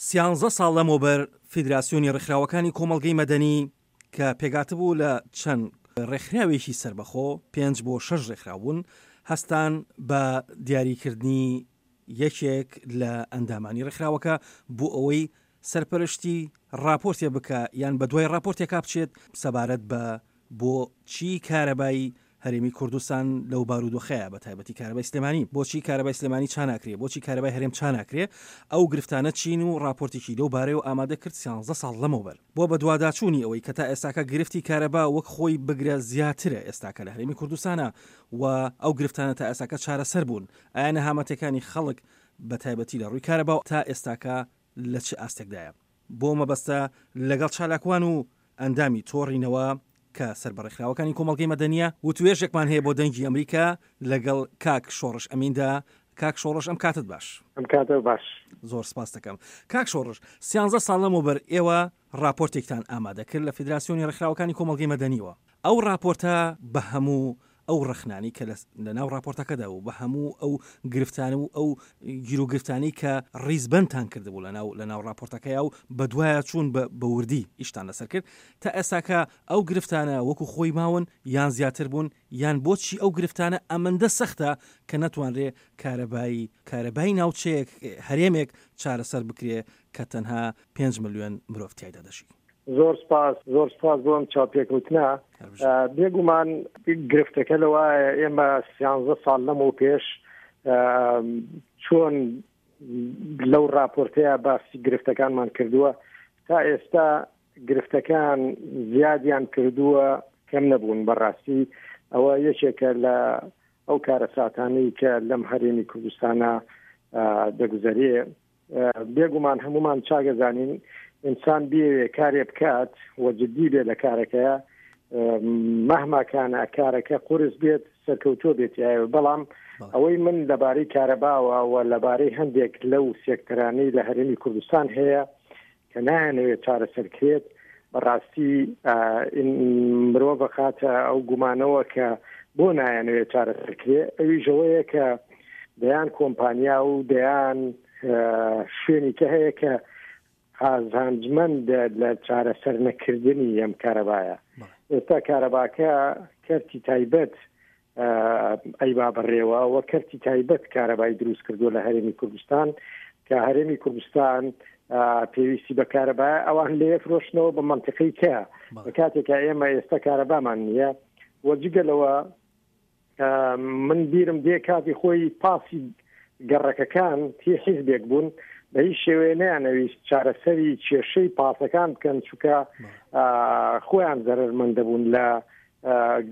سیانزە ساڵ لەمەوبەر فیدراسیۆنی ڕێکخراوەکانی کۆمەڵگەی مەدەنی کە پێکهاتبوو لە چەند ڕێکخراوێکی سەربەخۆ، پێنج بۆ شەش ڕێکخراو بوون، هەستان بە دیاریکردنی یەکێک لە ئەندامانی ڕێکخراوەکە بۆ ئەوەی سەرپەرشتی ڕاپۆرتێ بکا یان بەدوای ڕاپۆرتێکا بچێت سەبارەت بە بۆچی کارەبای هەرێمی کوردستان لەو بارودۆخەیە بە تایبەتی کارەبای سلێمانی بۆچی کارەبای سلێمانی چاناکرێ بۆچی کارەبای هەرێم چاناکرێ ئەو گرفتانە چین و ڕاپۆرتێکی لەو بارەیەوە ئامادە کرد سیانزە ساڵ لەمەوبەر بۆ بەدواداچوونی ئەوەی کە تا ئێستاکە گرفتی کارەبا وەک خۆی بگرە زیاترە ئێستاکە لە هەرێمی کوردستانە و ئەو گرفتانە تا ئێستاکە چارەسەر بوون ئایا نەهامەتەکانی خەڵک بە تایبەتی لە ڕووی کارەبا تا ئێستاکە لە چ ئاستێکدایە بۆ مەبەستە لەگەڵ چالاکوان و ئەندامی تۆڕی نەوا کە سەر بە ڕێکخراوەکانی کۆمەڵگەی مەدەنییە، وتوێژێکمان هەیە بۆ دەنگی ئەمریکا لەگەڵ کاک شۆڕش ئەمیندا. کاک شۆڕش ئەم کاتت باش. ئەم کاتە باش. زۆر سپاست دەکەم. کاک شۆڕش، سیانزە ساڵ لەمەوبەر ئێوە ڕاپۆرتێکتان ئامادە کرد لە فیدراسیۆنی ڕێکخراوەکانی کۆمەڵگەی مەدەنیوە. ئەو ڕاپۆرتە بە هەموو ئەو ڕەخنانەی کە لە ناو ڕاپۆرتەکەدا بوو، بە هەموو ئەو گرفتانە و ئەو گیروگرفتانەی کە ڕیزبەندتان کردبوو لە ناو لە ناو ڕاپۆرتەکەیا و بەدوایا چوون بە بە وردی ئیشتان لەسەر کرد، تا ئێستاکە ئەو گرفتانە وەکو خۆی ماون یان زیاتر بوون یان بۆچی ئەو گرفتانە ئەمەندە سەختە کە نەتوانرێ کارەبای کارەبای ناوچەیەک هەرێمێک چارەسەر بکرێ کە تەنها پێنج ملیۆن مرۆڤ تیایدا دەژی؟ زۆر سپاس زۆر سپاس بۆ ئەم چاوپێکەوتنە بێگومان گرفتەکە لەوایە ئێمە سیانزە ساڵ لەمەو پێش چۆن لەو راپۆرتەیە باسی گرفتەکانمان کردووە تا ئێستا گرفتەکان زیادیان کردووە کەم نەبوون بەڕاستی ئەوە یەکێکە لە ئەو کارەساتانەی کە لەم هەرێمی کوردستانە دەگوزەرێ بێگومان هەمومان چاگەزانین ئینسان بێوێ کارێ بکات و جددی بێ لە کارەکەیە مەهماکانە کارەکە قورس بێت سەرکەوتووە بێت بەڵام ئەوەی من لەبارەی کارەباوە و لەبارەی هەندێک لەو سێکتەرانەی لە هەرێمی کوردستان هەیە کە نایانەوێت چارەسەر کرێت بەڕاستی مرۆڤ خاتە ئەو گومانەوە کە بۆ نایانەوێت چارەسەر کرێ ئەویشەوەیە کە دەیان کۆمپانیا و دەیان شوێنی کە هەیە کە قازانجمەندە لە چارەسەر نەکردنی ئەم کارەبایە ئێستا کارەباکە کەرتی تایبەت ئەیبا بەڕێوە و کەرتی تایبەت کارەبای دروست کردووە لە هەرێمی کوردستان کە هەرێمی کوردستان پێویستی بە کارەبا ئەوان لێ فرۆشنەوە بە منطقی کە لە کاتێکا ئێمە ئێستا کارەبامان نییە و جگە لەوە من بیرم دێ کاتی خۆی پاسی گەڕەکەکان هی حیزبێک بوون بە هیچ شێوەیە نەیانەویست چارەسەری کێشەی پاسەکان بکەن چونکە خۆیان زەرەرمەندەبوون لە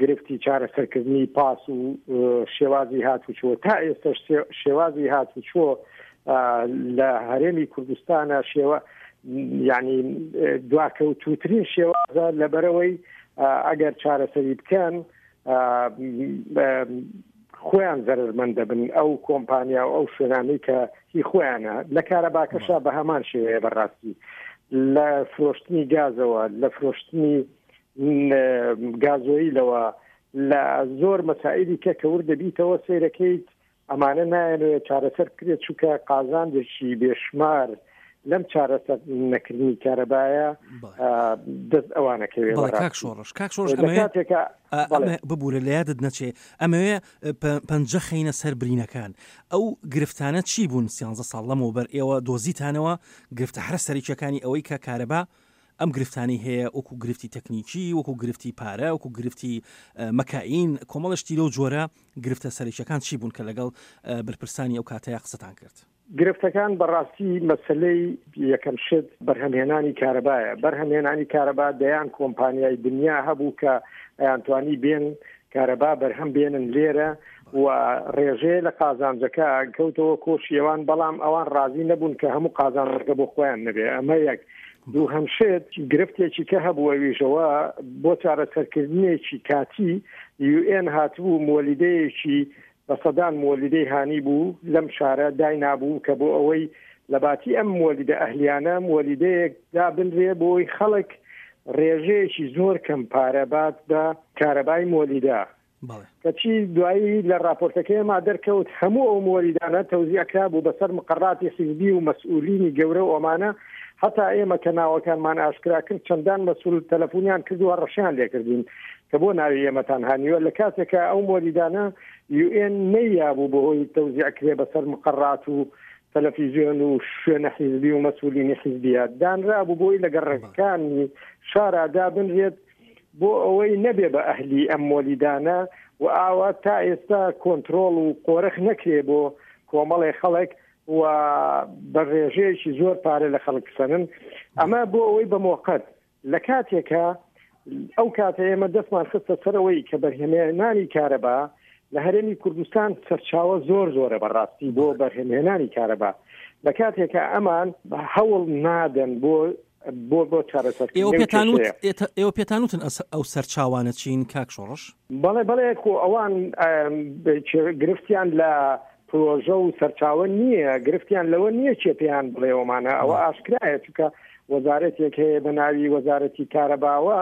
گرفتی چارەسەرکردنی پاس و شێوازی هاتوچۆ تا ئێستش شێوازی هاتوچۆ لە هەرێمی کوردستانە شێوە یعنی دواکەوتوترین شێوازە لەبەرەوەی ئەگەر چارەسەری بکەن خۆیان زەرمەند دەبن ئەو کۆمپانیا و ئەو شوێنانەی کە هی خۆیانە لە کارەباکەشا بە هەمان شێوەیە بەڕاستی لە فرۆشتنی گازەوە لە فرۆشتنی گازۆیلەوە لە زۆر مەسائلی کە کە ورد دەبیتەوە سەیرەکەیت ئەمانە نایەنەوێت چارەسەر بکرێت چونکە قازانجێکی بێشمار لەم چارەسەر نەکردنی کارەبایە دەست ئەوانەکەوێت کاک شۆڕش کاک شۆڕش ببوورە لە یادت نەچێ ئەمەوێ پەنجە خەینە سەر برینەکان ئەو گرفتانە چی بوون سیانزە ساڵ لەمەوبەر ئێوە دۆزیتانەوە گرفتە هەرە سەرەکیەکانی ئەوەی کە کارەبا ئەم گرفتانەی هەیە وەکو گرفتی تەکنیکی، وەکو گرفتی پارە، وەکو گرفتی مەکائین، کۆمەڵە شتی لەو جۆرە، گرفتە سەرەکیەکان چی بوون کە لەگەڵ بەرپرسانی ئەو کاتەیا قسەتان کرد؟ گرفتەکان بەڕاستی مەسەلەی یەکەم شت بەرهەمهێنانی کارەبایە، بەرهەمهێنانی کارەبا دەیان کۆمپانیای دنیا هەبوو کە ئەیانتوانی بێن کارەبا بەرهەم بێنن لێرە و ڕێژەیە لە قازانجەکە کەوتەوە کۆشی ئەوان، بەڵام ئەوان ڕازی نەبوون کە هەموو قازانجەکە بۆ خۆیان نەبێ، ئەمە یەک. دووهەم شت گرفتێکی کە هەبوو ئەویشەوە بۆ چارەسەرکردنێکی کاتی یوئێن هاتبوو مۆلیدەیەکی بە سەدان مۆلیدەی هانی بوو لەم شارە داینابوو کە بۆ ئەوەی لە باتی ئەم مۆلیدە ئەهلیانە مۆلیدەیەک دابنرێ بۆی خەڵک ڕێژەیەکی زۆر کەم پارە بات بە کارەبای مۆلیدە. کەچی دوایی لە ڕاپۆرتەکەی ئێمە دەرکەوت هەموو ئەو مۆلیدانە تەوزیع کرابوو بەسەر مقەڕاتی حیزبی و مەسئولینی گەورە و ئەمانە، هەتا ئێمە کە ناوەکانمان ئاشکرا کرد چەندان مەسئول تەلەفونیان کرد و هەڕەشەیان لێکردین کە بۆ ناوی ئێمەتان هانیوە، لە کاتێکا ئەو مۆلیدانە یو ئێن نەیابوو بەهۆی تەوزیع کرێ بەسەر مقەڕات و تەلەفیزیۆن و شوێنە حیزبی و مەسئولینی حیزبیە دانرابوو بۆی لە گەڕەکەکانی شارا دابنرێت بۆ ئەوەی نەبێ بە ئەهلی ئەم مۆلیدانە و ئاوا تا ئێستا کۆنترۆڵ و قۆرخ نەکرێ بۆ کۆمەڵێ خەڵک و بە ڕێژەیەکی زۆر پارە لە خەڵک بسەنن ئەمە بۆ ئەوەی بە مۆقەت لە کاتێکە ئەو کاتە ئێمە دەستمان خستە سەرەوەی کە بەرهەمێنانی کارەبا لە هەرێمی کوردستان سەرچاوە زۆر زۆرە بەڕاستی بۆ بەرهەمهێنانی کارەبا لە کاتێکە ئەمان هەوڵ نادەن بۆ بۆ بۆ چارەسەرکردنی ئێوە پێتان وت ئێوە پێتان وتن ئەو سەرچاوانە چین کاک شۆڕش؟ بەڵێ بەڵێ خۆ ئەوان گرفتیان لە پرۆژە و سەرچاوە نییە گرفتیان لەوە نییە چێ پێیان بڵێەوەمانە ئەوە ئاشکرایە چونکە وەزارەتێک هەیە بە ناوی وەزارەتی کارەباوە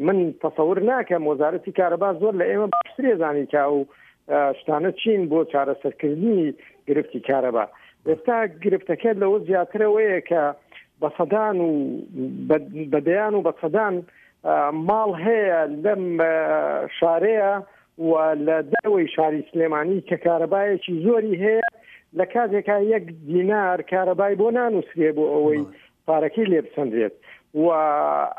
من تەسەور ناکەم وەزارەتی کارەبا زۆر لە ئێمە باشترێ زانی کە ئەو شتانە چین بۆ چارەسەرکردنی گرفتی کارەبا ئێستا گرفتەکە لەوە زیاترەوەیە کە بە سەدان و بە دەیان و بە سەدان ماڵ هەیە لەم شارەیە و لە دەرەوەی شاری سلێمانی کە کارەبایەکی زۆری هەیە لە کاتێکا یەک دینار کارەبای بۆ نانووسرێ بۆ ئەوەی پارەکەی لێ بسەندرێت و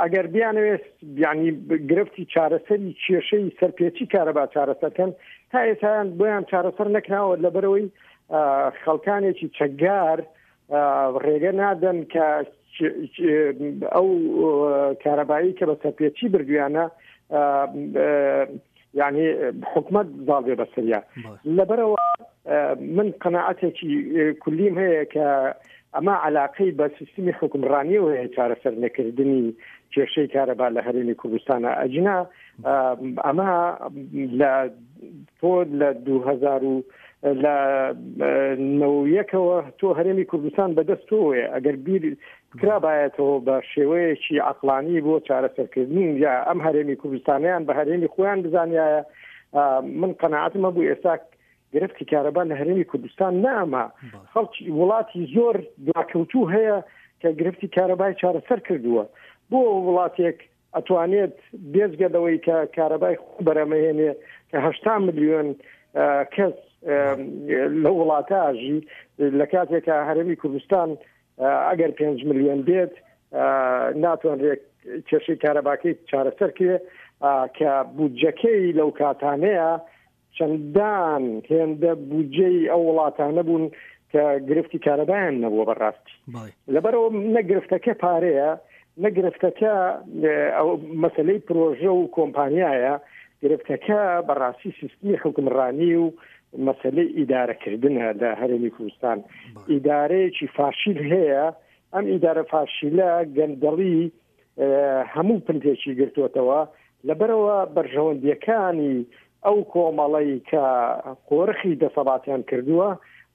ئەگەر بیانەوێت یعنی گرفتی چارەسەری کێشەی سەرپێچی کارەبا چارەسەرکەن تا ئێسایان بۆیان چارەسەر نەکراوە لەبەرەوەی خەڵکانێکی چەکدار ڕێگە نادەن کە ئەو کارەبایی کە بە سەرپێچی بردویانە یعنی حکومت زاڵ بێ بەسەریا لەبەرەوە من قەناعەتێکی کلیم هەیە کە ئەمە علاقەی بە سیستمی حکومڕانیەوە هەیە چارەسەر نەکردنی کێشەی کارەبا لە هەرێمی کوردستانە ئەجنا ئەمە لە تۆ لە 2000 و لە نەوەکەوە تۆ هەرێمی کوردستان بەدەست تۆیە ئەگەر بیر کرابایەتەوە بە شێوەیەکی عقلانی بۆ چارەسەرکردن یا ئەم هەرێمی کوردستانیان بە هەرێمی خۆیان بزانایە من قەنەعاتم هەبوو ئێستا گرفتی کارەبا لە هەرێمی کوردستان نامە خەڵکی وڵاتی زۆر دواکەوتوو هەیە کە گرفتی کارەبای چارەسەر کردووە بۆ وڵاتێک ئەتوانێت بێجگە لەوەی کە کارەبای خۆ بەرەمەهێنێ کە هشتا ملیۆن کەس لە وڵاتە ئاژی لە کاتێکە هەرێمی کوردستان ئەگەر 5 ملیۆن بێت ناتوانرێت کێشەی کارەباکەی چارەسەر کرێ کە بودجەکەی لەو کاتانەیە چەندان هێندە بودجەی ئەو وڵاتانە بوون کە گرفتی کارەبایان نەبووە بەڕاستی لەبەرەوە نە گرفتەکە پارەیە نە گرفتەکە ئەو مەسلەی پرۆژە و کۆمپانیایە گرفتەکە بەڕاستی سیستمی حکمڕانی و مەسلەی ئیدارەکردنە لە هەرێمی کوردستان ئیدارەیەکی فاشیل هەیە ئەم ئیدارە فاشیلە گەندەڵی هەموو پنتێکی گرتووەتەوە، لەبەرئەوە بەرژەوەندییەکانی ئەو کۆمەڵەی کە قۆرخی دەسەڵاتیان کردووە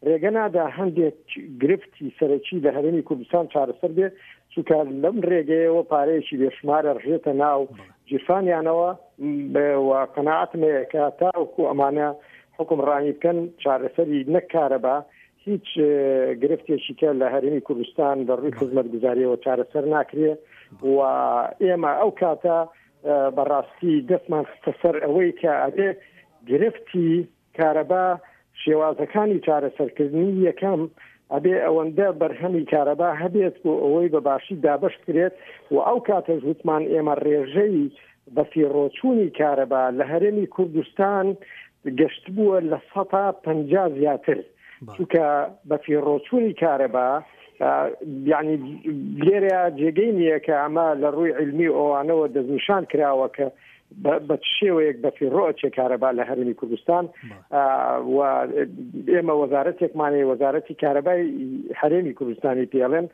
رێگە نادا هەندێک گرفتی سەرەکی لە هەرێمی کوردستان چارەسەر بێت، چونکە لەم رێگەیەوە پارەیەکی بێشومارە رژێتە ناو گیرفانیانەوە و قەناعەتم هەیە کە تاوەکو ئەمانە حوکمڕانی بکەن چارەسەری نەک کارەبا هیچ گرفتێکی کە لە هەرێمی کوردستان لە ڕووی خزمەتگوزاریەوە چارەسەر ناکرێ و ئێمە ئەو کاتە بەڕاستی دەستمان خستە سەر ئەوەی کە ئەبێ گرفتی کارەبا شێوازەکانی چارەسەرکردنی یەکەم ئەبێ ئەوەندە بەرهەمی کارەبا هەبێت بۆ ئەوەی بە باشی دابش کرێت و ئەو کاتەش وتمان ئێمە ڕێژەی بەفیڕۆچوونی کارەبا لە هەرێمی کوردستان گەشتبووە 50% زیاتر چونکە بەفیڕۆچوونی کارەبا یعنی لێرە جێگەی نییە کە ئەمە لە ڕووی علمی ئەوانەوە دەستنیشان کراوە کە بە شێوەیەک بەفیڕۆ ئەچێ کارەبا لە هەرێمی کوردستان و ئێمە وەزارەتێکمانەیە وەزارەتی کارەبای هەرێمی کوردستانی پێڵێن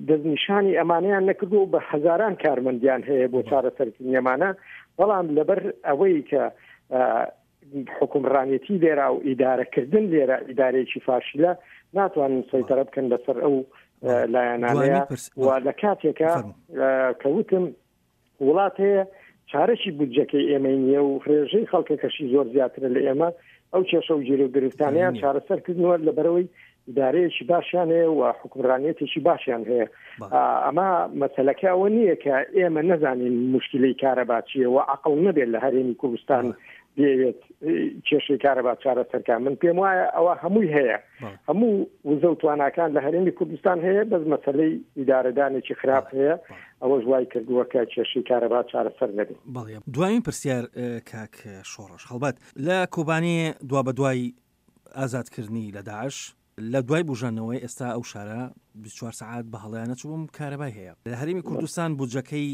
دەستنیشانی ئەمانەیان نەکردو و بە هەزاران کارمەندیان هەیە بۆ چارەسەرکردنی ئەمانە بەڵام لەبەر ئەوەی کە حکومڕانێتی لێرا و ئیدارەکردن لێرە ئیدارەیەکی فاشلە ناتوانن سەیتەرە بکەن بەسەر ئەو لایەنانەیە و لە کاتێکە کەوتم وڵات هەیە چارەکی بودجەکەی ئێمەی نییە و ڕێژەی خەڵکەکەشی زۆر زیاترە لە ئێمە، ئەو کێشە و گیروگرفتانەیان چارەسەر کردنوە لەبەرئەوەی ئیدارەیەکی باشیان هەیە و حوکمڕانیەتێکی باشیان هەیە. ئەمە مەسەلەکە ئەوە نییە کە ئێمە نەزانین موشکیلەی کارەبا چییە و عەقڵ نەبێت لە هەرێمی کوردستان بێوێت کێشەی کارەبا چارەسەرکە. من پێم وایە ئەوە هەمووی هەیە، هەموو وزە و تواناکان لە هەرێمی کوردستان هەیە، بەس مەسەلەی ئیدارەدانێکی خراپ هەیە، ئەوەش وای کردووە کە کێشەی کارەبا چارەسەر نەبێت. بەڵێ دوایین پرسیار کاک شۆڕش، هەڵبەت لە کۆبانێ دوابەدوای ئازادکردنی لە داعش، لە دوای بوژاندنەوەی ئێستا ئەو شارە 24 سەعات بە هەڵەیا نەچووم کارەبای هەیە. لە هەرێمی کوردستان بودجەکەی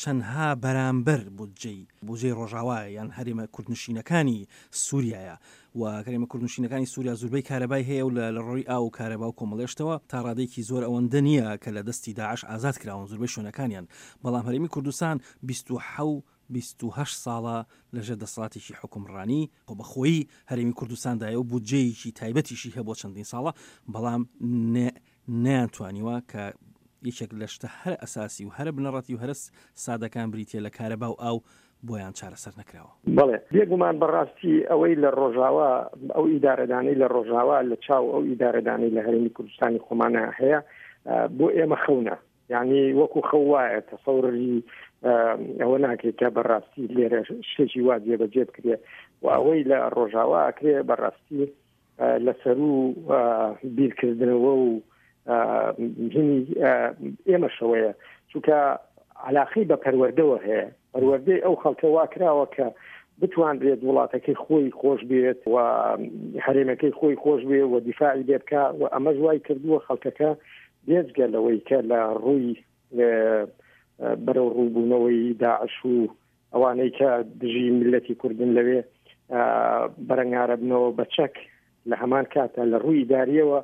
چەندها بەرامبەر بودجەی بودجەی ڕۆژاوایە یان هەرێمە کوردنشینەکانی سوریایە و هەرێمە کوردنشینەکانی سوریا زوربەی کارەبای هەیە و لە لە ڕۆی ئاو و کارەبا و کۆمەڵێشتەوە تا ڕادەیەکی زۆر ئەوەندە نییە کە لە دەستی داعش ئازاد کراون زوربەی شوێنەکانیان بەڵام هەرێمی کوردستان 27 28 ساڵە لەژێر دەسەڵاتێکی حوکمڕانی خۆبەخۆیی هەرێمی کوردستاندایە و بودجەیەکی تایبەتیشی هەبووە چەندین ساڵە بەڵام نەیانتوانیوە کە یەکێک لە شتە هەرە ئەساسی و هەرە بنەڕەتی و هەرە سادەکان بریتیە لە کارەبا و ئاو بۆیان چارەسەر نەکراوە. بەڵێ بێگومان بەڕاستی ئەوەی لە ڕۆژاوا ئەو ئیدارەدانەی لە ڕۆژاوا لە چاو ئەو ئیدارەدانەی لە هەرێمی کوردستانی خۆمانە هەیە بۆ ئێمە خەونە یعنی وەکو خەو وایە تەسەوری ئەوە ناکرێت کە بەڕاستی لێرە شتێکی وا جێبەجێ بکرێ و ئەوەی لە ڕۆژاوا ئەکرێ بەڕاستی لەسەرو بیرکردنەوە و هینی ئێمەشەوەیە چونکە علاقەی بە پەروەردەوە هەیە پەروەردەی ئەو خەڵکە وا کراوە کە بتوانرێت وڵاتەکەی خۆی خۆش بێت و هەرێمەکەی خۆی خۆش بێ و دیفاعی لێ بکە و ئەمەش وای کردووە خەڵکەکە بێجگە لەوەی کە لە ڕووی بەرەو ڕووبوونەوەی داعش و ئەوانەی کە دژی میللەتی کوردن لەوێ بەرەنگارەبنەوە بە چەک لە هەمان کاتە لە ڕووی ئیداریەوە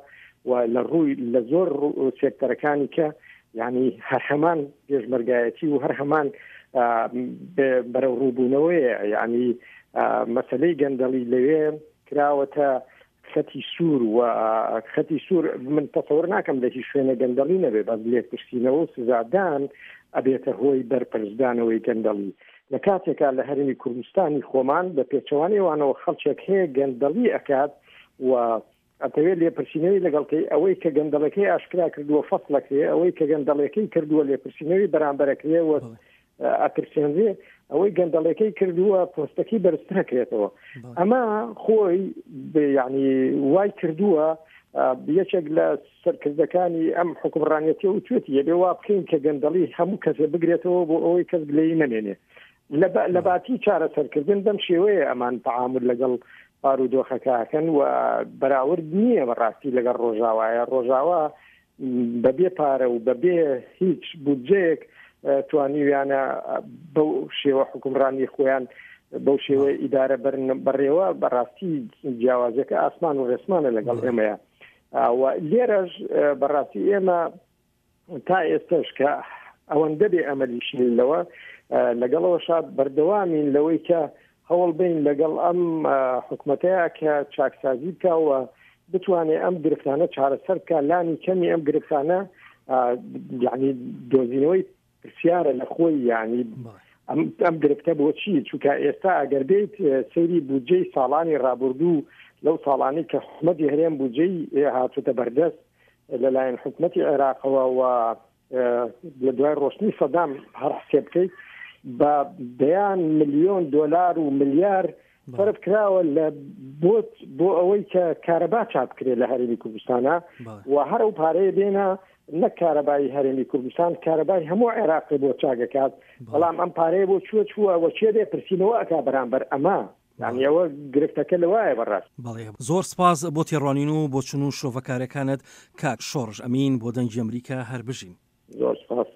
و لە ڕووی لە زۆر سێکتەرەکانی کە یعنی هەر هەمان پێشمەرگایەتی و هەر هەمان بەرەو ڕووبوونەوەیە یعنی مەسلەی گەندەڵی لەوێ کراوەتە خەتی سوور و خەتی سوور من تەسەور ناکەم لە هیچ شوێنە گەندەڵی نەبێ بەس لێپرسینەوە و سزادان ئەبێتە هۆی بەرپرسدانەوەی گەندەڵی لە کاتێکا لە هەرێمی کوردستانی خۆمان بە پێچەوانەی ئەوانەوە خەڵکێک هەیە گەندەڵی ئەکات و ئەتەوێت لێپرسینەوەی لەگەڵ کەی ئەوەی کە گەندەڵەکەی ئاشکرا کردووە فەسڵەکرێ ئەوەی کە گەندەڵەکەی کردووە لێپرسینەوەی بەرامبەرەکرێ و ئەترسێنرێ ئەوەی گەندەڵەکەی کردووە پۆستەکەی بەرزترەکرێتەوە ئەمە خۆی یعنی وای کردووە یەکێک لە سەرکردەکانی ئەم حکومڕانەتی و توێتی یەبێ وا بکەین کە گەندەڵی هەموو کەسێ بگرێتەوە بۆ ئەوەی کەس گلەیی نەمێنێ لە باتی چارەسەرکردن بەم شێوەیە ئەمان تعامل لەگەڵ بارودۆخەکەکەن و بەراورد نییە بەڕاستی لەگەڵ ڕۆژاوایە ڕۆژاوا بەبێ پارە و بەبێ هیچ بودجەیەک توانیویانە بەو شێوە حکومڕانی خۆیان بەو شێوە ئیدارە بەرن بەڕێوە بەڕاستی جیاوازەکە ئاسمان و ڕێسمانە لەگەڵ ئێمەیە و لێرەش بەڕاستی ئێمە تا ئێستش کە ئەوەندە بێ ئەمەلیشین لەوە لەگەڵەوە شاد بەردەوامین لەوەی کە هەوڵ بین لەگەڵ ئەم حکومەتەیە کە چاکسازی بکە و بتوانێت ئەم گرفتانە چارەسەر بکە لانی کەمی ئەم گرفتانە یعنی دۆزینەوەی پرسیارە لە خۆی یعنی ئەم گرفتە بۆچی چونکە ئێستا ئەگەر بیت سەیری بودجەی ساڵانی ڕابردوو لەو ساڵانی کە حکومەتی هەرێم بودجەی هاتوتە بەردەست لەلایەن حکومەتی عێراقەوە و لە دوای ڕۆشتنی سەدام هەر حسێب بکەیت بە دەیان ملیۆن دۆلار و ملیار سەرف کراوە لە بۆت بۆ ئەوەی کە کارەبا چاپ بکرێت لە هەرێمی کوردستانە و هەر ئەو پارەیە بێنە نەک کارەبای هەرێمی کوردستان کارەبای هەموو عێراقی بۆ چاگەکات بەڵام ئەم پارەیە بۆ چووە چووە وە کێ بێ پرسینەوە ئەک بەرامبەر ئەمە یانی ئەوە گرفتەکە لەوایە بەڕاست. بەڵێ زۆر سپاس بۆ تێڕوانین و بۆچون و شرۆڤەکارەکانت کاک شۆڕش ئەمین بۆ دەنگی ئەمریکا هەر بژین. زۆر سپاس.